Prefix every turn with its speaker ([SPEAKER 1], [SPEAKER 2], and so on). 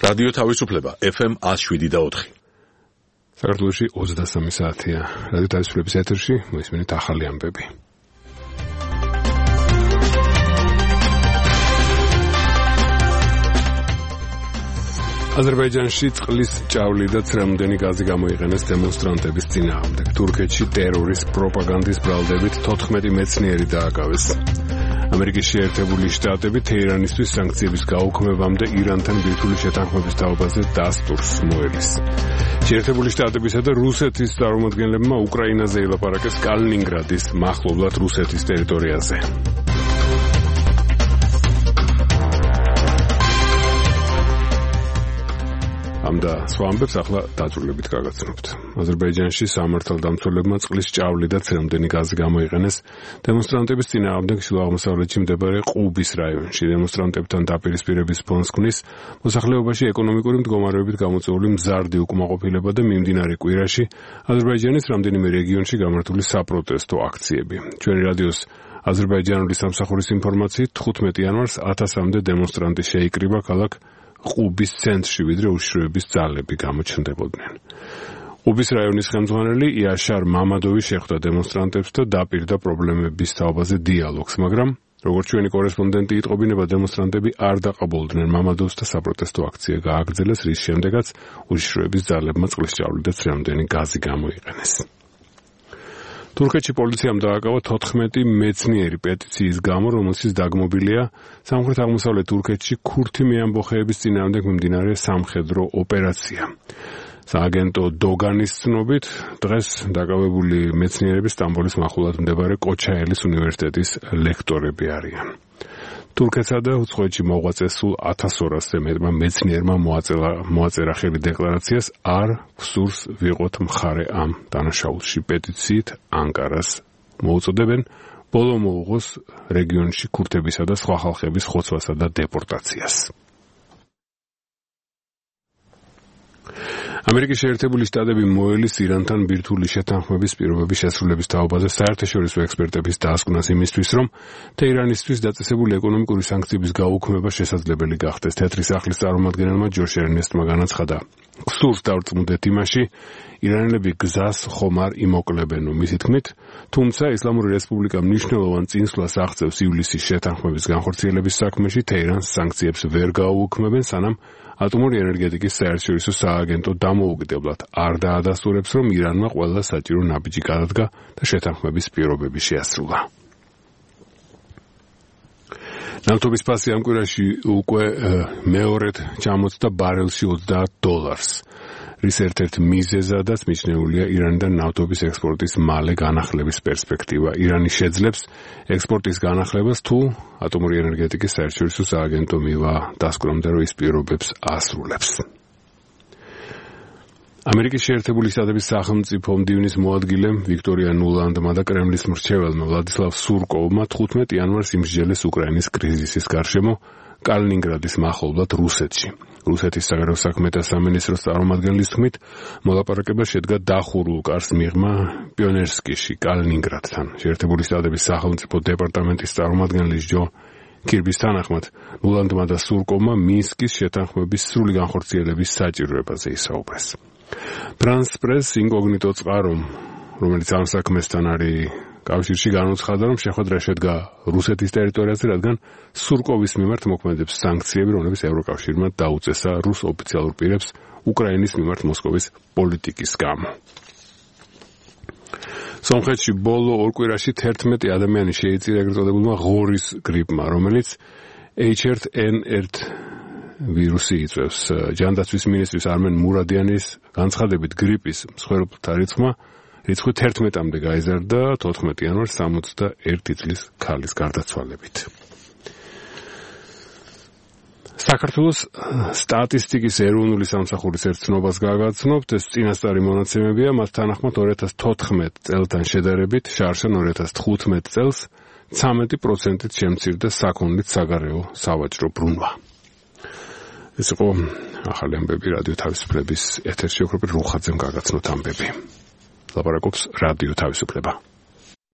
[SPEAKER 1] რადიო თავისუფლება FM 107.4.
[SPEAKER 2] საქართველოში 23 საათია. რადიო თავისუფლების ეთერში მოისმენთ ახალი ამბები. აზერბაიჯანში წყლის ჭავლი და ცრემლდენი გაზი გამოიყენეს დემონსტრანტების წინააღმდეგ. თურქეთში ტერორის პროპაგანდის ბრალდებით 14 მეცნიერი დააკავეს. ამერიკის შეერთებული შტატები თეირანისთვის სანქციების გაუქმებამდე ირანთან ბირთვული შეთანხმების თაობაზე დასტურს მოელის. შეერთებული შტატებისა და რუსეთის წარმომადგენლებმა უკრაინაზე ელაპარაკეს კალინინგრადის მახლობლად რუსეთის ტერიტორიაზე. ამდა სხვა ამბებს ახლა დაწვრილებით გაგაცნობთ. აზერბაიჯანში სამართალდამცველებმა წყლის ჭავლი და ცრემლდენი გაზი გამოიყენეს დემონსტრანტების წინააღმდეგ შუა აღმოსავლეთში მდებარე ყუბის რაიონში. დემონსტრანტებთან დაპირისპირების ფონს ქმნის მოსახლეობაში ეკონომიკური მდგომარეობით გამოწვეული მზარდი უკმაყოფილება და მიმდინარე კვირაში აზერბაიჯანის რამდენიმე რეგიონში გამართული საპროტესტო აქციები. ჩვენი რადიოს აზერბაიჯანული სამსახურის ინფორმაციით 15 იანვარს 1000-მდე დემონსტრანტი შეიკრიბა ქალაქ ყუბის ცენტრში, ვიდრე უშიშროების ძალები გამოჩნდებოდნენ. ყუბის რაიონის ხელმძღვანელი იაშარ მამადოვი შეხვდა დემონსტრანტებს და დაპირდა პრობლემების თაობაზე დიალოგს, მაგრამ როგორც ჩვენი კორესპონდენტი იტყობინება, დემონსტრანტები არ დაყბოლდნენ მამადოვს და საპროტესტო აქცია გააგრძელეს, რის შემდეგაც უშიშროების ძალებმა წყლის ჭავლი და ცრემლდენი გაზი გამოიყენეს. თურქეთში პოლიციამ დააკავა 14 მეცნიერი პეტიციის გამო, რომელშიც დაგმობილია სამხრეთ-აღმოსავლეთ თურქეთში ქურთი მეამბოხეების წინააღმდეგ მიმდინარე სამხედრო ოპერაცია. სააგენტო დოგანის ცნობით, დღეს დაკავებული მეცნიერები სტამბოლის მახლობლად მდებარე კოჩაელის უნივერსიტეტის ლექტორები არიან. თურქეთსა და უცხოეთში მოღვაწე სულ 1200-ზე მეტმა მეცნიერმა მოაწერა ხელი დეკლარაციას არ გვსურს ვიყოთ მხარე ამ დანაშაულში. პეტიციით ანკარას მოუწოდებენ ბოლო მოუღოს რეგიონში ქურთებისა და სხვა ხალხების ხოცვასა და დეპორტაციას. ამერიკის შეერთებული შტატები მოელის ირანთან ბირთვული შეთანხმების პირობების შესრულების თაობაზე საერთაშორისო ექსპერტების დასკვნას იმისთვის, რომ თეირანისთვის დაწესებული ეკონომიკური სანქციების გაუქმება შესაძლებელი გახდეს. თეთრი სახლის წარმომადგენელმა ჯოშ ერნესტმა განაცხადა, გსურს დავწმუნდეთ იმაში, ირანელები გზას ხომ არ იმოკლებენო. მისი თქმით, თუმცა ისლამური რესპუბლიკა მნიშვნელოვან წინსვლას აღწევს ივლისის შეთანხმების განხორციელების საქმეში, თეირანს სანქციებს ვერ გაუქმებენ, სანამ ატომური ენერგეტიკის საერთაშორისო სააგენტო დამოუკიდებლად არ დაადასტურებს, რომ ირანმა ყველა საჭირო ნაბიჯი გადადგა და შეთანხმების პირობები შეასრულა. ნავთობის ფასი ამ კვირაში უკვე მეორედ ჩამოწდა ბარელში $30, რის ერთ-ერთ მიზეზადაც მიჩნეულია ირანიდან ნავთობის ექსპორტის მალე განახლების პერსპექტივა. ირანი შეძლებს ექსპორტის განახლებას, თუ ატომური ენერგეტიკის საერთაშორისო სააგენტო მივა დასკვნამდე, რომ ის პირობებს ასრულებს. ამერიკის შეერთებული შტატების სახელმწიფო მდივნის მოადგილემ ვიქტორია ნულანდმა და კრემლის მრჩეველმა ვლადისლავ სურკოვმა 15 იანვარს იმსჯელეს უკრაინის კრიზისის გარშემო კალინინგრადის მახლობლად რუსეთში. რუსეთის საგარეო საქმეთა სამინისტროს წარმომადგენლის თქმით, მოლაპარაკება შედგა დახურულ კარს მიღმა პიონერსკიში, კალინინგრადთან. შეერთებული შტატების სახელმწიფო დეპარტამენტის წარმომადგენლის ჯო კირბის თანახმად, ნულანდმა და სურკოვმა მინსკის შეთანხმების სრული განხორციელების საჭიროებაზე ისაუბრეს. ფრანს პრეს ინკოგნიტო წყარომ, რომელიც ამ საქმესთან არის კავშირში, განუცხადა, რომ შეხვედრა შედგა რუსეთის ტერიტორიაზე, რადგან სურკოვის მიმართ მოქმედებს სანქციები, რომლებიც ევროკავშირმა დაუწესა რუს ოფიციალურ პირებს უკრაინის მიმართ მოსკოვის პოლიტიკის გამო. სომხეთში ბოლო ორ კვირაში 11 ადამიანი შეიწირა ეგრეთ წოდებულმა ღორის გრიპმა, რომელიც H1N1 ვირუსი იწვევს. ჯანდაცვის მინისტრის არმენ მურადიანის განცხადებით, გრიპის მსხვერპლთა რიცხვი 11-მდე გაიზარდა 14 იანვარს 61 წლის ქალის გარდაცვალებით. საქართველოს სტატისტიკის ეროვნული სამსახურის ერთ ცნობას გაგაცნობთ, ეს წინასწარი მონაცემებია, მას თანახმად 2014 წელთან შედარებით შარშან 2015 წელს 13%-ით შემცირდა საქონლით საგარეო სავაჭრო ბრუნვა. ეს იყო ახალი ამბები რადიო თავისუფლების ეთერში, ოქროპირ რუხაძემ გაგაცნოთ ამბები. ლაპარაკობს რადიო თავისუფლება.